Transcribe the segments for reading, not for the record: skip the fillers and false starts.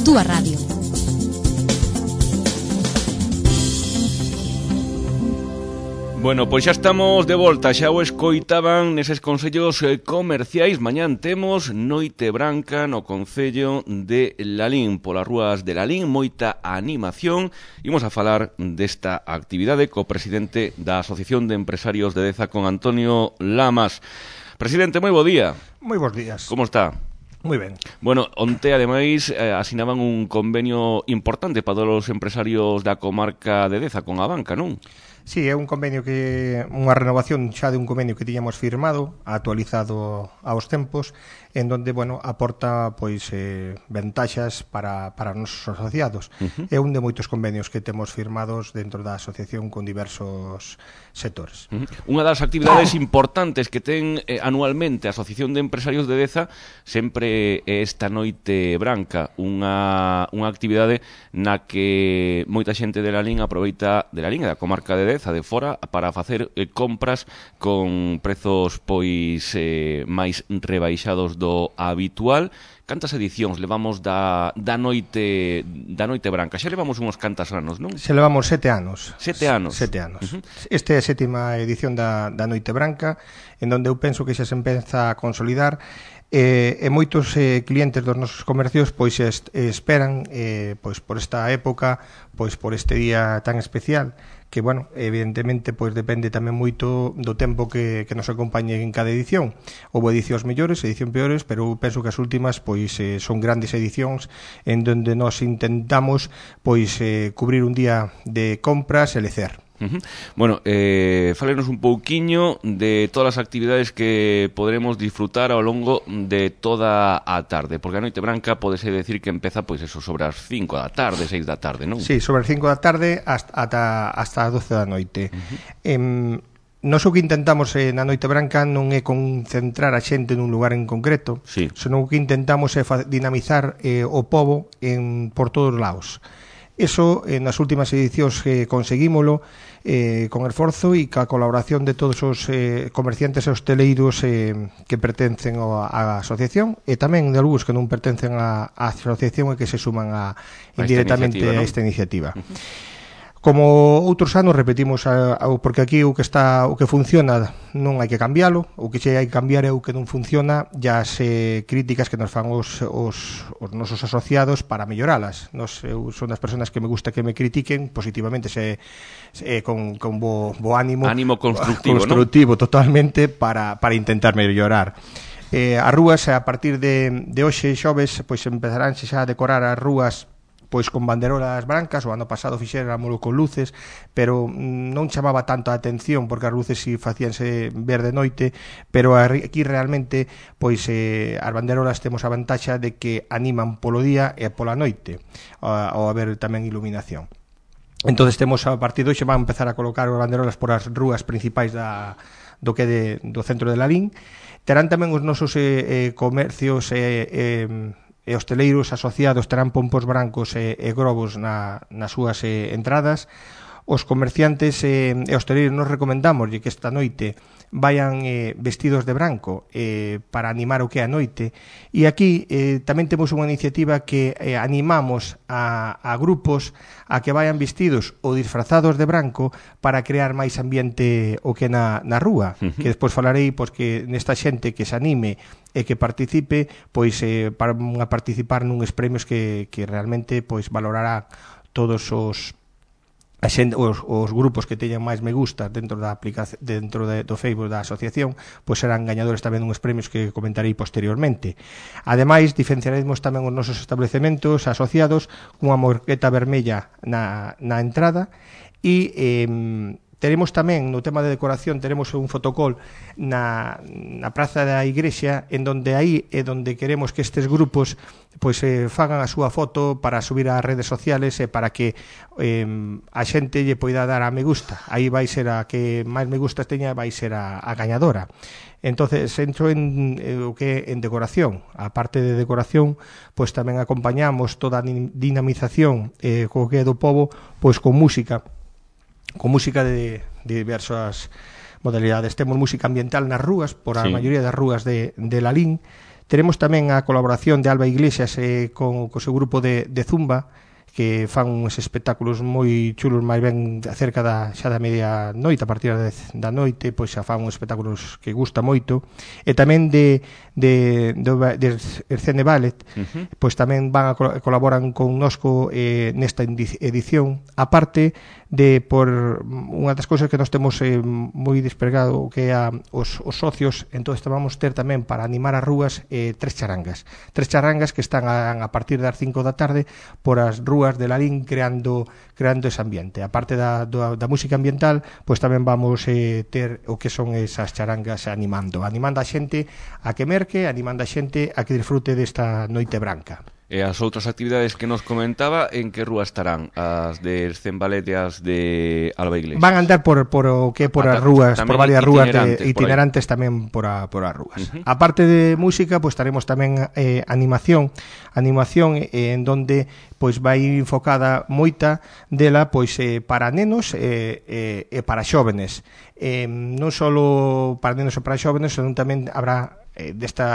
túa radio. Bueno, pois xa estamos de volta, xa o escoitaban neses consellos comerciais. Mañán temos Noite Branca no concello de Lalín, polas rúas de Lalín, moita animación. Imos a falar desta actividade co presidente da Asociación de Empresarios de Deza, con Antonio Lamas. Presidente, moi bo día. Moi bons días. Como está? Moi ben. Bueno, onte, ademais, asinaban un convenio importante para todos os empresarios da comarca de Deza con a banca, non? Sí, é un convenio unha renovación xa de un convenio que tiñamos firmado, actualizado aos tempos, en donde, bueno, aporta pois ventaxas para os nosos asociados. É un de moitos convenios que temos firmados dentro da asociación con diversos sectores. Unha das actividades importantes que ten anualmente a Asociación de Empresarios de Deza sempre é esta Noite Branca, unha actividade na que moita xente de Lalín aproveita, de Lalín e da comarca de Deza, de fora, para facer compras con prezos pois máis rebaixados do habitual. Cantas edicións levamos da Noite Branca? Xa levamos uns cantas anos, non? Se levamos 7 anos. 7 anos. 7 anos. Esta é a 7ª edición da Noite Branca, en donde eu penso que xa se empeza a consolidar. E moitos clientes dos nosos comercios pois esperan pois por esta época, pois por este día tan especial, que, bueno, evidentemente pois depende tamén moito do tempo que nos acompañe en cada edición. Houve edicións mellores, edicións peores, pero eu penso que as últimas pois son grandes edicións en donde nos intentamos pois cubrir un día de compras e lecer. Bueno, fálenos un pouquiño de todas as actividades que poderemos disfrutar ao longo de toda a tarde, porque a Noite Branca podese decir que empeza pois eso sobre as 5 da tarde, 6 da tarde, non? Sí, sobre as 5 da tarde hasta as 12 da noite. Nós o que intentamos na Noite Branca non é concentrar a xente nun lugar en concreto, sí, senón o que intentamos é dinamizar o pobo por todos os lados. Eso, nas últimas edicións conseguímolo con esforzo e ca colaboración de todos os comerciantes e hosteleiros que pertencen á asociación, e tamén de algúns que non pertencen á asociación e que se suman indirectamente a esta iniciativa. Como outros anos repetimos, porque aquí o que funciona non hai que cambiálo, o que hai que cambiar é o que non funciona, e as críticas que nos fan os nosos asociados para melloralas. Eu son das personas que me gusta que me critiquen positivamente, con bo ánimo constructivo, ¿no? Totalmente, para intentar mellorar. As rúas, a partir de hoxe, xoves, pois empezarán xa a decorar as rúas pois con banderolas brancas. O ano pasado fixéramolo con luces, pero non chamaba tanto a atención porque as luces si facíanse ver de noite, pero aquí realmente pois as banderolas temos a vantaxa de que animan polo día e pola noite ao haber tamén iluminación. Entonces temos, a partir de hoxe, van a empezar a colocar as banderolas por as rúas principais do centro de Lalín. Terán tamén os nosos comercios e hosteleiros asociados terán pompos brancos e globos nas súas entradas. Os comerciantes e hosteleiros nos recomendamos que esta noite vayan vestidos de branco para animar o que é a noite. E aquí tamén temos unha iniciativa que animamos a grupos a que vayan vestidos ou disfrazados de branco para crear máis ambiente o que na rúa, que despois falarei, pois que nesta xente que se anime e que participe, pois para participar nuns premios que realmente pois valorará todos os grupos que teñan máis me gusta dentro da aplicación, dentro do Facebook da asociación, pois serán gañadores tamén uns premios que comentarei posteriormente. Ademais, diferenciaremos tamén os nosos establecementos asociados cunha morqueta vermella na entrada, e teremos tamén, no tema de decoración, teremos un fotocall na praza da igrexa, en donde aí é donde queremos que estes grupos pois fagan a súa foto para subir ás redes sociales e para que a xente lle poida dar a me gusta. Aí vai ser a que máis me gustas teña, vai ser a gañadora. Entonces, entro en o que é en decoración. A parte de decoración, pois tamén acompañamos toda a dinamización co que é do pobo, pois con música de diversas modalidades. Temos música ambiental nas rúas, por a maioría das rúas de Lalín. Teremos tamén a colaboración de Alba Iglesias co seu grupo de Zumba, que fan uns espectáculos moi chulos, máis ben cerca xa da media noite, a partir da noite, pois xa fan uns espectáculos que gusta moito, e tamén de Ercene Ballet, pois tamén colaboran connosco nesta edición, aparte de por unha das cousas que nós temos moi desplegado, que é os socios. Entón vamos ter tamén para animar as rúas tres charangas que están a partir das 5 da tarde por as rúas de Lalín creando ese ambiente. A parte da música ambiental, pois tamén vamos ter o que son esas charangas animando a xente a que merque, animando a xente a que disfrute desta noite branca. E as outras actividades que nos comentaba, en que rúa estarán? As de Ercembalet e as de Alba Iglesias? Van a andar por o que por as rúas, por varias rúas itinerantes tamén por as rúas. Aparte de música, pois estaremos tamén animación en donde pois vai enfocada moita dela pois para nenos e para xóvenes. Non só para nenos e para xóvenes, senón tamén habrá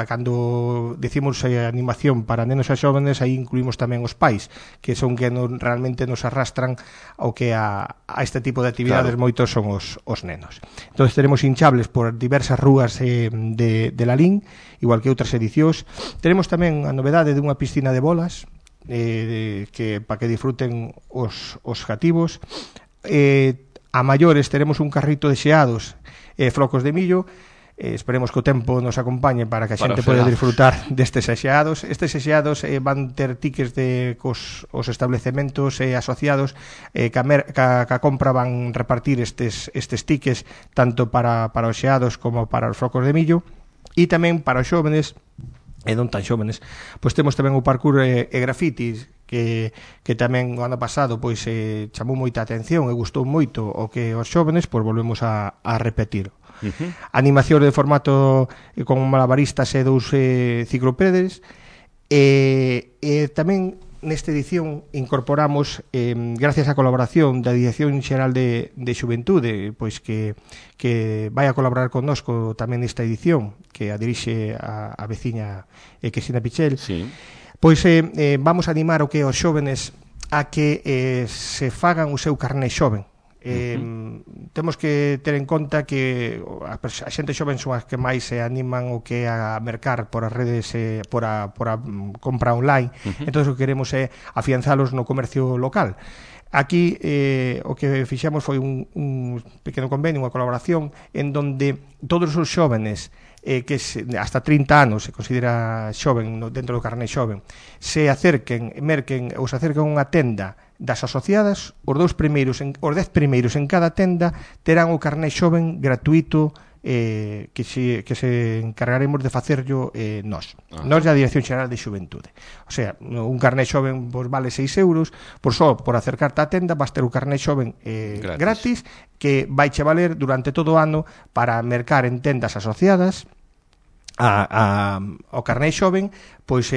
cando decimos animación para nenos e xóvenes, aí incluímos tamén os pais, que son que realmente nos arrastran ao que a este tipo de actividades. Claro. Moitos son os nenos. Entón teremos hinchables por diversas rúas de Lalín, igual que outras edicións. Teremos tamén a novedade dunha piscina de bolas, que para que disfruten os cativos. A maiores teremos un carrito de xeados e flocos de millo. Esperemos que o tempo nos acompañe para que a xente poida disfrutar destes xeados. Estes xeados van ter tickets cos establecementos asociados, que a compra van repartir estes tickets tanto para os xeados como para os flocos de millo. E tamén para os xóvenes e non tan xóvenes, pois temos tamén o parkour e grafitis, que tamén o ano pasado pois chamou moita atención e gustou moito, o que os xóvenes pois volvemos a repetir. Animación de formato con malabaristas e 2 ciclopédes, e tamén nesta edición incorporamos, gracias á colaboración da Dirección Xeral de Xuventude, pois que vai a colaborar connosco tamén nesta edición, que a dirixe a veciña Cristina Pichel. Sí. Pois vamos a animar o que os xóvenes a que se fagan o seu carné xoven. Temos que ter en conta que a xente xoven son as que máis se animan o que a mercar por as redes, por a compra online. Entón o que queremos é afianzalos no comercio local. Aquí o que fixemos foi un pequeno convenio, unha colaboración en donde todos os xóvenes que hasta 30 anos se considera xoven dentro do carné xoven, se acerquen, merquen ou se acerquen a unha tenda das asociadas, os 10 primeiros en cada tenda terán o carné xoven gratuito, que se encargaremos de facerlo nós da Dirección Xeral de Xuventude. O sea, un carné xoven vale 6 euros, por acercarte á tenda vas ter o carné xoven gratis, que vai che valer durante todo o ano para mercar en tendas asociadas ao carné xoven, pois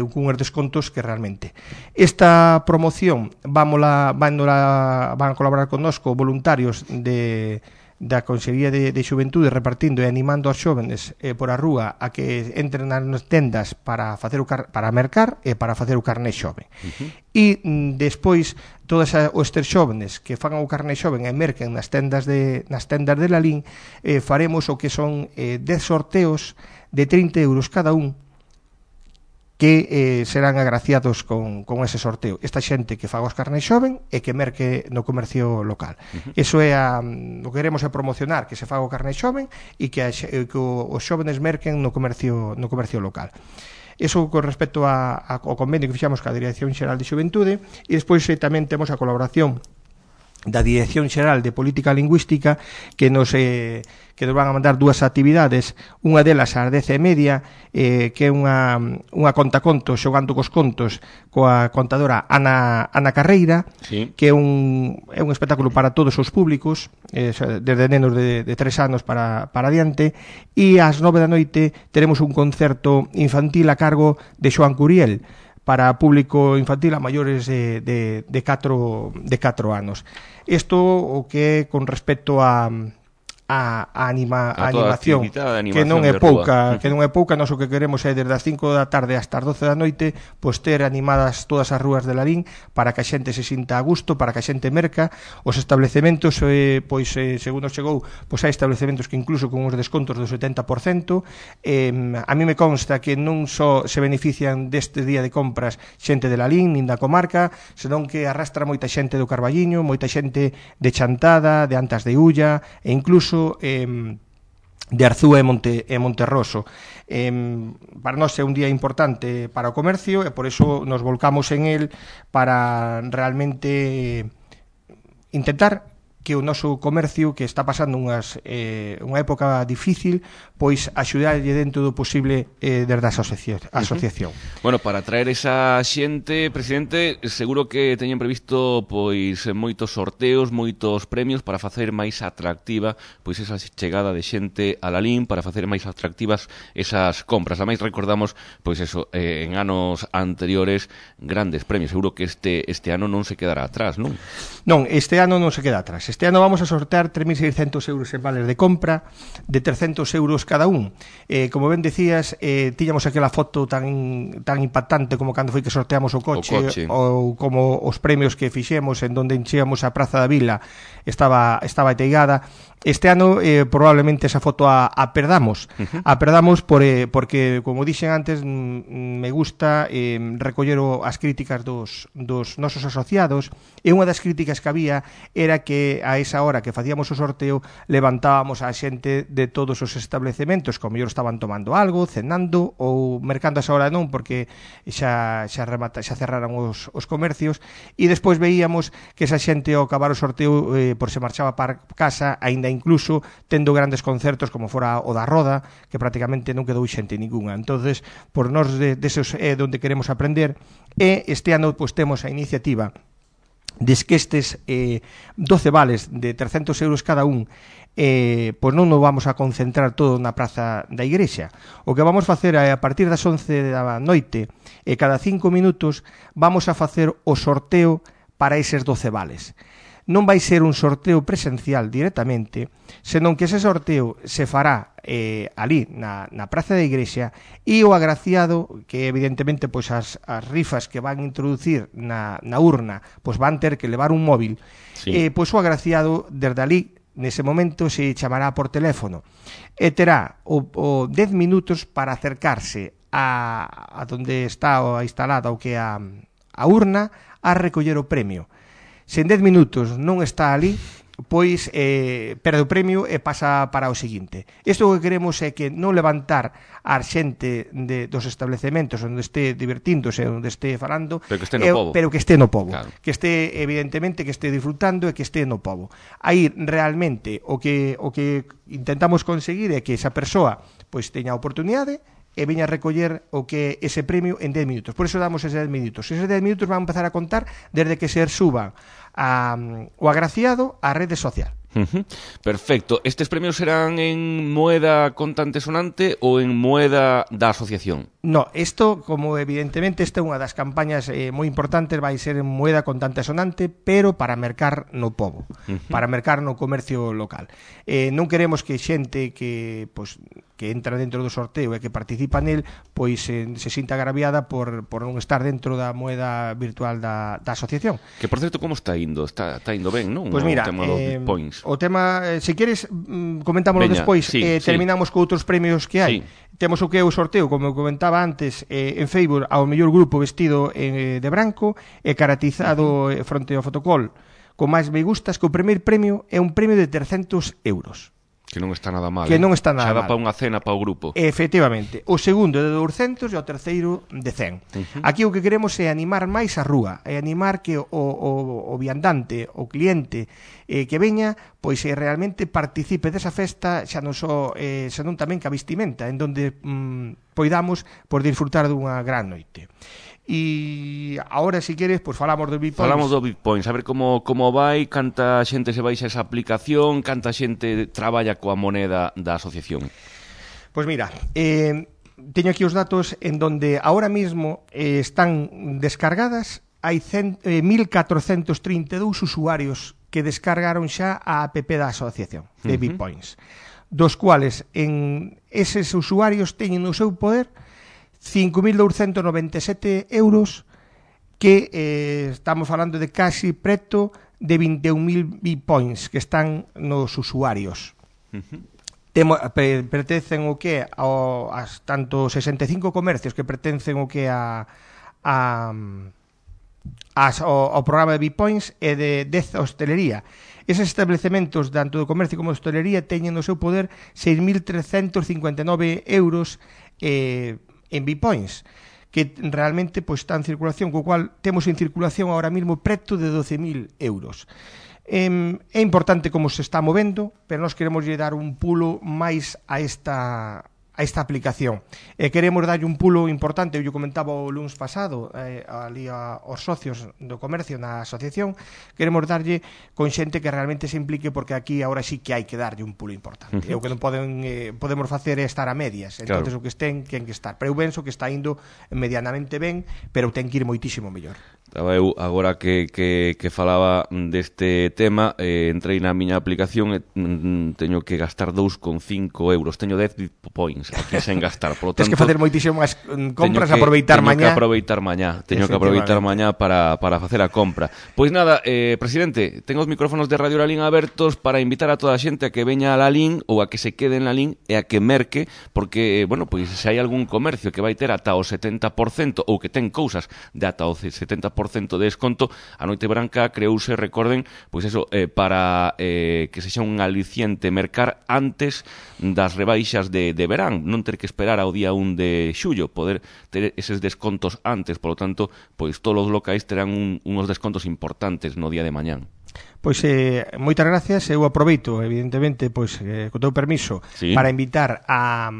con uns descontos que realmente. Esta promoción van a colaborar connosco voluntarios da Consellería de Xuventude, repartindo e animando aos xóvenes por a rúa a que entren nas tendas para mercar e para facer o carné xove. E despois todos estes xóvenes que fagan o carné xoven e merquen nas tendas de Lalín, faremos o que son 10 sorteos de 30 euros cada un, que serán agraciados con ese sorteo. Esta xente que faga os carnés xoven e que merque no comercio local. Eso é o que queremos é promocionar, que se faga o carné xoven e que os xóvenes merquen no comercio local. Eso con respecto ao convenio que fixamos ca Dirección Xeral de Xuventude. E despois tamén temos a colaboración da Dirección Xeral de Política Lingüística, que nos van a mandar 2 actividades. Unha delas ás 10:30, que é unha contacontos xogando cos contos coa contadora Ana Carreira, sí, que é un espectáculo para todos os públicos, desde nenos de 3 anos para adiante. E ás 9 da noite teremos un concerto infantil a cargo de Xoán Curiel, para público infantil a maiores de 4 anos. Isto o que é con respecto a a toda animación, que non é pouca, nós o que queremos é desde as 5 da tarde hasta as 12 da noite, pois ter animadas todas as rúas de Lalín para que a xente se sinta a gusto, para que a xente merca. Os establecementos, segundo chegou, pois hai establecementos que incluso con os descontos do 70%. A mí me consta que non só se benefician deste día de compras xente de Lalín, nin da comarca, senón que arrastra moita xente do Carballiño, moita xente de Chantada, de Antas de Ulla, e incluso de Arzúa e Monterroso. Para nós é un día importante para o comercio e por iso nos volcamos en el para realmente intentar que o noso comercio, que está pasando unha época difícil, pois axudarlle dentro do posible desde a asociación. Bueno, para traer esa xente, presidente, seguro que teñen previsto pois moitos sorteos, moitos premios para facer máis atractiva pois esa chegada de xente a Lalín, para facer máis atractivas esas compras. Ademais recordamos pois eso, en anos anteriores grandes premios. Seguro que este ano non se quedará atrás, non? Non, este ano non se queda atrás. Este ano vamos a sortear 3.600 euros en vales de compra de 300 euros cada un. Como ben decías, tiñamos aquela foto tan impactante como cando foi que sorteamos o coche. Ou como os premios que fixemos en donde encheamos a Praza da Vila estaba ateigada. Este ano probablemente esa foto a perdamos. A perdamos porque, como dixen antes, me gusta recoller as críticas dos nosos asociados, e unha das críticas que había era que a esa hora que facíamos o sorteo levantábamos a xente de todos os establecementos, como mellor estaban tomando algo, cenando ou mercando a esa hora non, porque xa cerraran os comercios, e despois veíamos que esa xente ao acabar o sorteo por se marchaba para casa, aínda incluso tendo grandes concertos como fora o da Roda, que prácticamente non quedou xente ningunha. Entonces, por nós deses é onde queremos aprender, e este ano pois temos a iniciativa des que estes 12 vales de 300 euros cada un, pois non nos vamos a concentrar todo na Praza da Igrexa. O que vamos facer é, a partir das 11 da noite, e cada 5 minutos vamos a facer o sorteo para eses 12 vales. Non vai ser un sorteo presencial directamente, senón que ese sorteo se fará ali na Praza da Igrexa, e o agraciado, que evidentemente pois as rifas que van introducir na urna pois van ter que levar un móvil, pois o agraciado desde ali nese momento se chamará por teléfono e terá o 10 minutos para acercarse a donde está instalada o que é a urna, a recoller o premio. Se en 10 minutos non está ali, pois perde o premio e pasa para o seguinte. Isto o que queremos é que non levantar a xente dos establecementos onde este divertíndose, onde este falando, pero que este no pobo. Pero que este no pobo. Claro. Que este, evidentemente, que este disfrutando e que este no pobo. Aí realmente o que intentamos conseguir é que esa persoa pois teña a oportunidade e veña a recoller o que ese premio en 10 minutos. Por iso damos eses 10 minutos. Eses 10 minutos van a empezar a contar desde que se suban o agraciado á rede social. Perfecto. Estes premios serán en moeda contante sonante ou en moeda da asociación? No, isto, como evidentemente esta é unha das campañas moi importantes, vai ser en moeda contante sonante, pero para mercar no pobo, para mercar no comercio local. Non queremos que xente que entra dentro do sorteo e que participa nel, pois se sinta agraviada por non estar dentro da moeda virtual da asociación. Que, por certo, como está indo? Está indo ben, non? Pois mira, o tema, se queres, comentámoslo despois, terminamos con outros premios que hai. Temos o que é o sorteo, como comentaba antes, en Facebook, ao mellor grupo vestido de branco e caracterizado fronte ao fotocol con máis me gustas, que o primeiro premio é un premio de 300 euros. Que non está nada mal. Que non está nada mal. Xa dá para unha cena para o grupo. Efectivamente. O segundo é de 200 e o terceiro de 100. Aquí o que queremos é animar máis a rúa, é animar que o viandante, o cliente que veña, pois realmente participe desa festa, xa non só, senón tamén que a vestimenta, en donde poidamos por disfrutar dunha gran noite. E agora, se queres, pois falamos do Bitpoints. Falamos do Bitpoints, a ver como vai, canta xente se baixa esa aplicación, canta xente traballa coa moneda da asociación. Pois mira, teño aquí os datos en donde ahora mismo están descargadas, hai 1.432 usuarios que descargaron xa a app da asociación de Bitpoints, dos cuales en eses usuarios teñen no seu poder 5.297 euros, que estamos falando de casi preto de 21.000 Bitpoints que están nos usuarios. Pertencen o que as tanto 65 comercios que pertencen o que ao programa de Bitpoints e de 10 hostelería. Eses establecementos tanto do comercio como de hostelería teñen no seu poder 6.359 euros en Bitpoints, que realmente pois, está en circulación, co cual temos en circulación ahora mesmo preto de 12.000 euros. É importante como se está movendo, pero nós queremos lle dar un pulo máis a esta aplicación. Queremos darlle un pulo importante, eu comentaba o lunes pasado ali aos socios do comercio na asociación, queremos darlle con xente que realmente se implique, porque aquí agora sí que hai que darlle un pulo importante. O que non podemos facer é estar a medias, entonces o que estén ten que estar, pero eu penso que está indo medianamente ben, pero ten que ir moitísimo mellor. Estaba eu, agora que falaba deste tema, entrei na miña aplicación e teño que gastar 2,5 euros. Teño 10 Bitpoints aquí sen gastar. Por lo tanto, tens que facer moitísimas compras, aproveitar mañá. Teño que aproveitar mañá para facer a compra. Pois nada, presidente, tengo os micrófonos de Radio Lalín abertos para invitar a toda a xente a que veña a Lalín ou a que se quede en Lalín e a que merque, porque, bueno, pois se hai algún comercio que vai ter ata o 70% ou que ten cousas de ata o 70% de desconto, a Noite Branca creouse, recorden, pois eso, para que sexa un aliciente mercar antes das rebaixas de verán, non ter que esperar ao día 1 de xullo, poder ter eses descontos antes, polo tanto, pois todos os locais terán unos descontos importantes no día de mañán. Pois moitas gracias, eu aproveito evidentemente, pois co teu permiso, para invitar a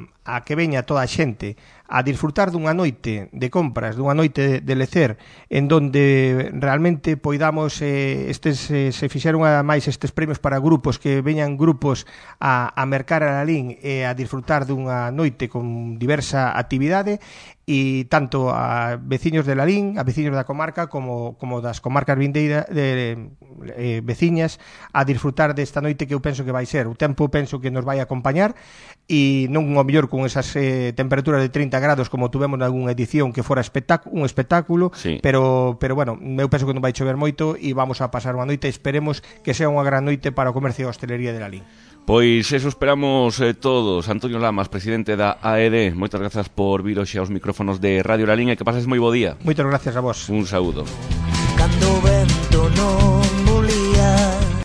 que veña toda a xente a disfrutar dunha noite de compras, dunha noite de lecer, en donde realmente poidamos se fixeron máis estes premios para grupos, que veñan grupos a mercar a Lalín e a disfrutar dunha noite con diversa actividade, e tanto a veciños de Lalín, a veciños da comarca como das comarcas vindeiras veciñas, a disfrutar desta noite que eu penso que vai ser. O tempo penso que nos vai acompañar, e non o mellor con esas temperaturas de 30 grados como tuvemos nalgúna edición que fora un espectáculo, sí. pero bueno, eu penso que non vai chover moito e vamos a pasar unha noite, esperemos que sea unha gran noite para o comercio e a hostelería de Lalín. Pois eso esperamos todos. Antonio Lamas, presidente da AED, moitas grazas por vir hoxe aos micrófonos de Radio Lalín e que pases moi bo día. Moitas gracias a vos. Un saúdo. Cando vento no